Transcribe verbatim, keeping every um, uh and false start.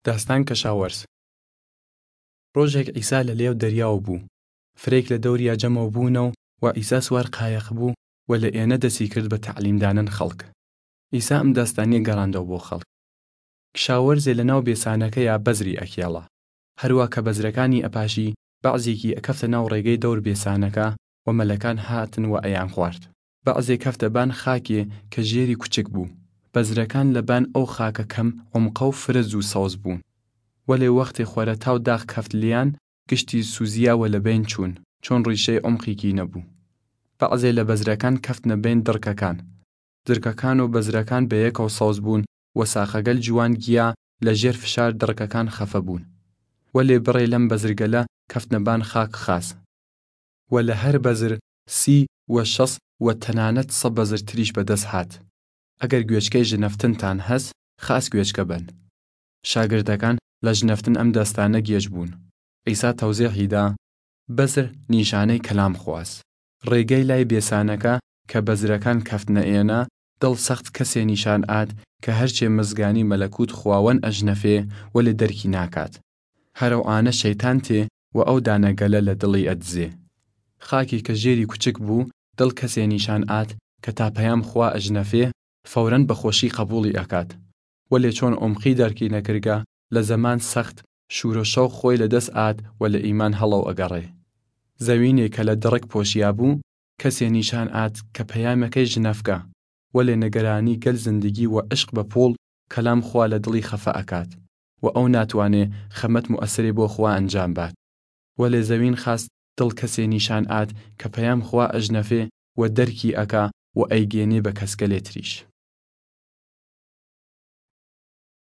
داستان کەشاوەرز. ڕۆژێگ عیسا لە لێو دەریاو بۊ. فرەیگ لە دەوریا جەمەو بۊنەو و عیسا سوار قایەق بۊ و لە ئێنە دەسی کرد بە تەعلیمدانن خەڵک. عیسا ئم داستانیە گەڕاندەو بۆ خەڵک. کشاوەرزێ لە ناو بێسانەکەیا بەزری ئەکێڵا. هەروا کە بەزرەکانی ئەپاشی، بەعزێکی ئەکەفتە ناو ڕێگەی دەور بێسانەکە و مەلەکان هاتن و ئەیان خوارد. بەعزێ کەفتە بان خاکێ کە ژێری کوچک بۊ. بەزرەکان لە بان ئەو خاکە کەم عومقەو فرە زۊ سەوز بۊن. وەلێ وەختێ خوەرەتاو داخ کەفت لێان، گشتی سوزیا و لە بەین چوون، چۆن ڕیشەی عومقیکی نەبۊ. بەعزێ لە بەزرەکان کەفتنە بەین دڕکەکان. دڕکەکان و بەزرەکان بەیەکەو سەوز بۊن و ساخەگەل جوان گیا لە ژێر فشار دڕکەکان خەفە بۊن. وەلێ بڕێ لەم بەزرگەلە کەفتنە بان خاک خاس. و لە هەر بەزر سی و شەس و تەنانەت سە بەزر تریش بەدەس هات. ئەگەر گوێچکەی ژنەفتنتان هەس، خاس گوێچکە بەن. شاگردەکان لە ژنەفتن ئەم داستانە گێج بۊن. عیسا تەوزێحی دا، بەزر نیشانەی کەلام خواس. ڕێگەی لای بێسانەکە کە بەزرەکان کەفتنە ئێنە، دڵ سەخت کەسێ نیشان ئاد کە هەرچێ مزگانی مەلەکوت خواوەن ئەژنەفێ، وەلێ دەرکی ناکات. هەرەو ئانە شەیتان تێ و ئەو دانەگەلە لە دڵی ئەدزێ. خاکی کە ژێری کوچک بۊ، دڵ کەسێ نیشان ئاد کە تا پەیام خوا ئەژنەفێ، فەورەن بە خوەشی قەبوڵی ئەکات. وەلێ چۆن عومقی دەرکی نەکرگە، لە زەمان سەخت، شوورە شەوق خوەی لە دەس ئاد و لە ئیمان هەڵەو ئەگەڕێ. زەوینێ کە لە دڕک پۆشیا بۊ، کەسێ نیشان ئاد کە پەیامەکەی ژنەفگە، وەلێ نگەرانی گەل زندگی و عشق بە پووڵ کەلام خوا لە دڵی خەفە ئەکات و ئەو ناتوانێ خەمەت موئەسرێ بۆ خوا ئەنجام بات. وەلێ زەوین خاس دڵ کەسێ نیشان ئاد کە پەیام خوا ئەژنەفێ و دەرکی ئەکا و ئەیگێنێ بە کەسگەلێ تریش.